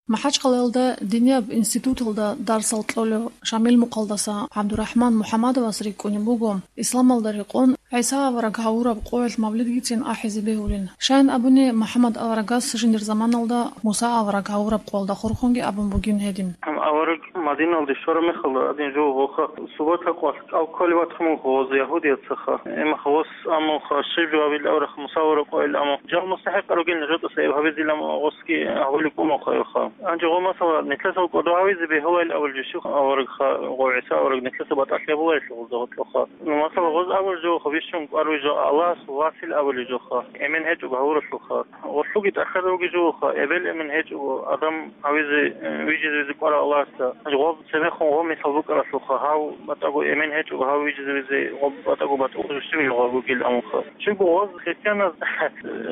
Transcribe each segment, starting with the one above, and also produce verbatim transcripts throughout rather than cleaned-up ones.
МахӀачхъалаялда динияб институталда дарсал кьолев Шамил-Мухъалдаса ГӀабдурахӀман МухӀаммадовас рикӀкӀунеб буго, исламалда рекъон ГӀиса авараг гьавураб къоялъ мавлидгицин ахӀизе бегьулин. Щайин абуни, МухӀаммад аварагас жиндир заманалда Муса авараг гьавураб къоялда хурхунги абун бугин гьедин. Гьаб авараг Мадиналде щвараб мехалда гьадин жо гъоха субата къвалъ кӀал кколев ватха мун гъоз ягьудияцаха. Эмаха гъос амунха, щиб жо гьабил аварагха Муса авараг къоял амун. Жал мустахӀикъ ругел нижатӀаса гьеб гьабизил амун гъосги гьабулеб бумахъайха. Гьанже гъо масала, нилъеца кӀодо гьавизе бегьулайил абулеб жо щиб аварагха, гъо ГӀиса авараг нилъеца батӀалъи гьабуларелъул гъозда гъоркьоха. Ну, масала, гъоз абулеб жо гъо бищун кӀвар вижо Аллагьас васил абулеб жоха, эмен гьечӀого гьавуралъулха. Гъолъуги тӀахьазавги жо гъоха, эбел-эмен гьечӀого адам гьавизе, э, вижизе визе кӀварав Аллагьасда. Гъоб цебехун гъо мисал букӀаралъулха, гьав батӀаго эмен гьечӀого гьав вижизе визе, гъоб батӀаго батӀулъ жо щиб гъо бугил амунха. Щибго гъоз христианаз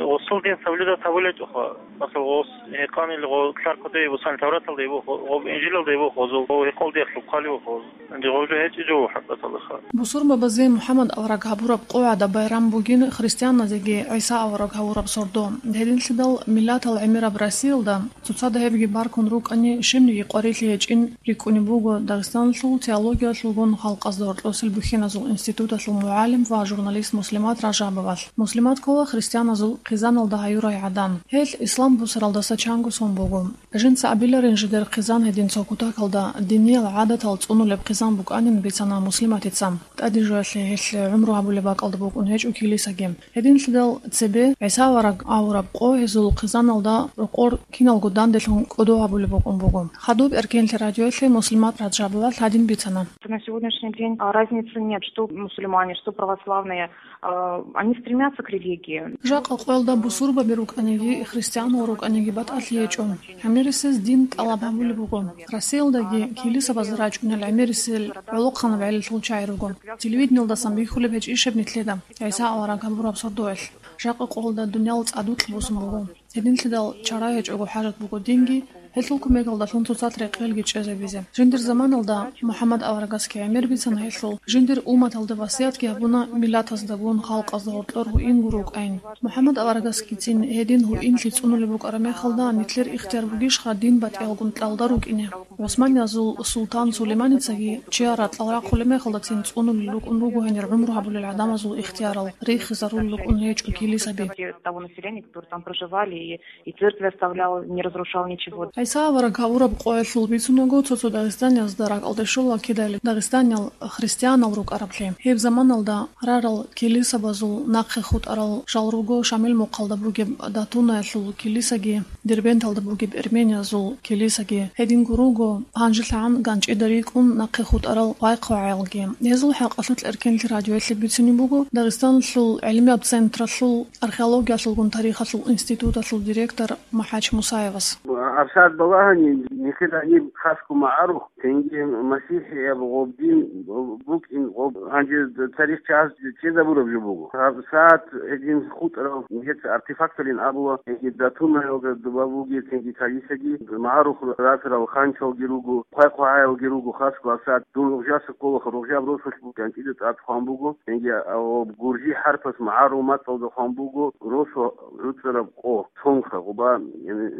гъосул дин соблюдать гьабулечӀоха. Масала, гъос гьекъанил гъо лъаркъоде бусан, Тавраталда буго, гъо Инжилалда буго, гъозул гъо гьекъолдиялъул хъали буго гъоз. Гьанже гъо жо гьечӀичӀо хӀакъаталаха. Бусурбабазе МухӀаммад авараг гьабураб къояда байрам бугин христианазеги ГӀиса авараг гьавураб сордо. Гьединлъидал миллатал гӀемераб Россиялда цоцазда гьебги баркун рукӀани, щибниги къварилъи гьечӀин рикӀкӀунеб буго Дагъистаналъул теологиялъулгун халкъазда гьоркьосел бухьиназул институталъул мугӀалим ва журналист Муслимат Ражабовалъ. Муслимат ккола христианазул хъизаналда гьаюрай гӀадан. Гьел ислам бусаралдаса чанго сон буго. Жинца абиларин жидер хъизан гьедин цо кутакалда диниял гӀадатал цӀунулеб хъизан букӀанин бицана Муслиматица. ТӀаде жоялъе гьелъ гӀумру гьабулеб бакӀалда букӀун гьечӀо килисаги. Гьединлъидал цебе ГӀиса авараг авураб къо гьезул хъизаналда рокъор киналго данделъун кӀодо гьабулеб букӀун буго. Хадуб Эркенлъи радиоялъе Муслимат Раджабова гьадин бицана. На сегодняшний день, а, разницы нет, что мусульмане, что православные, а, они стремятся к религии. Жакъа къоялда бусурбаби рукӀаниги, христианал рукӀаниги батӀалъи гьечӀо. ГӀемерисез дин тӀалаб гьабулеб буго. Россиялдаги килисабаз рачӀунел гӀемерисел гӀолохъанаб гӀелалъул чагӀи руго. Телевидениялдасан бихьулеб гьечӀищ гьеб нилъеда, ГӀиса авараг гьабураб сордоялъ. Жакъа къоялда дуниял цӀадукьа босун буго. Гьединлъидал чара гьечӀого хӀажат буго динги, гьелъул кумекалдалъун цоцазда рекъелги чӀезабизе. Жиндир заманалда МухӀаммад аварагасги гӀемер бицана гьелъул, жиндир умматалда васиятги гьабуна миллатаздагун халкъазда гьоркьор гьуин гуро рукӀайин. МухӀаммад аварагасгицин гьедин гьуинлъи цӀунулеб букӀараб мехалда, нилъер ихтияр бугищха дин батӀиялгун кьалда рукӀине? ГӀусманиязул султан Сулейманицаги чияр ракьал рахъулеб мехалдацин цӀунулел рукӀун руго гьенир гӀумру гьабулел гӀадамазул ихтиярал, рихизарулел рукӀун гьечӀо килисаби. Того населения, которые там проживали, и, и церкви оставлял, не разрушал ничего. ГӀиса авараг гьавураб къоялъул бицунаго, цо-цо дагъистаниязда ракӀалде щола кидали дагъистаниял христианал рукӀараблъи. Гьеб заманалда рарал килисабазул нахъе хутӀарал жал руго Шамил мухъалда бугеб Датунаялъул килисаги, Дербенталда бугеб эрмениязул килисаги, гьединго руго гьанжелъагӀан ганчӀида рикӀкӀун нахъе хутӀарал хъвай-хъвагӀаялги. Гьезул хӀакъалъулъ Эркенлъи радиоялъе бицунеб буго Дагъистаналъул гӀилмияб централъул археологиялъулгун тарихалъул институталъул директор МухӀач Мусаевас. ГьабсагӀат балагьани, нилъер гьаниб хасго магӀарухъ, цинги масихӀияб гъоб дин букӀин гъоб гьанже тарихчагӀаз чӀезабураб жо буго. ГьабсагӀат гьедин хутӀарал нилъеца артефакталин абула, цинги Датунаялда доба бугеб, цинги калисаги магӀарухъ расарал ханчалги руго, хъвай-хъвагӀаялги руго, хасго гьабсагӀат дун Рогъжаса кколаха, Рогъжаб росулъ буго, ганчӀида тӀад хъван буго, цинги, а, гуржи хӀарпас магӀарул мацӀалда хъван буго, росу гӀуцӀараб къо, цонха, гъоба,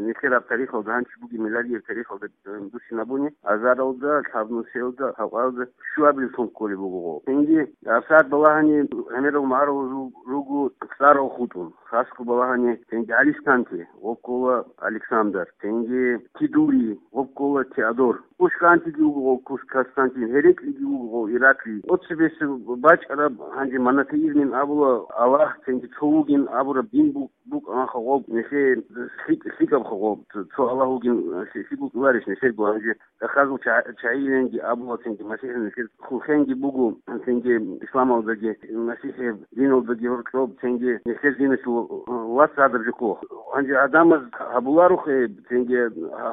нилъераб тарихалда гьанчи бугеб миладияб тарихалда, э, бусинабуни, азаралда, лъабнусиялда, гьавкъалда щуабилеб сон кколеб буго гъо. Цинги гьабсагӀат балагьани гӀемерал магӀарул ру-, руго цӀарал хутӀун, хасго балагьани цинги ГӀалисканти, гъо ккола Александр, цинги Кидури, гъо ккола Теодор. Кускантиги вуго гъо Кус-, Константин, Гьереклиги вуго гъо Ираклий. Оцебесеб бачӀараб гьанже монотеизмин абула Аллагь, цинги цо вугин абураб дин бу-, букӀанха гъоб, нилъее лъикӀ-, лъикӀабха гъоб, цо, цо Аллагь вугин, лъи-, лъикӀ букӀуларищ нилъерго гьанже? Ахазул ча-, чагӀиленги абула, цинги масихӀин нилъер хурхенги буго, цинги исламалдаги, масихӀияб диналдаги гьоркьоб, цинги нилъер диналъул вац гьадаржухъо. Гьанже гӀадамаз гьабуларухъе, цинги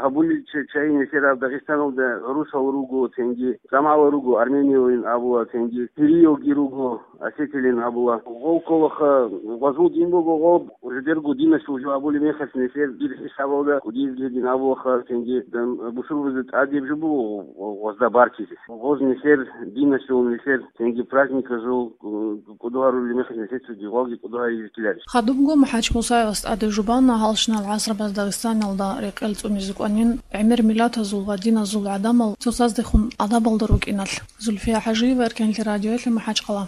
гьабулел ча-, чагӀи нилъераб Дагъистаналда гӀурусал руго, цинги жамагӀатал руго, армениялин абула, цинги сириялги руго, осетиялин абула. Гъол кколаха, гъозул дин буго, гъол жидерго диналъул жо абулеб мехалъ нилъер дир хӀисабалда кӀудиязги дин абулаха, цинги дам-, бусурбабазда тӀадеб жо буго гъозда баркизе. Гъоз нилъер диналъул, нилъер цинги праздниказул, э, кӀодо гьарулеб мехалъ нилъер цоги гъолги кӀодо гьаризе ккеларищ? Хадубго МухӀач Мусаевас тӀаде жубана гьалщинал гӀасрабаз Дагъистаналда рекъел цӀунизе кӀванин гӀемер миллатазул ва диназул гӀадамал цоцаздехун гӀадабалда рукӀиналъ. Зульфия ХӀажиева, Эркенлъи радиоялъе, МахӀачхъала.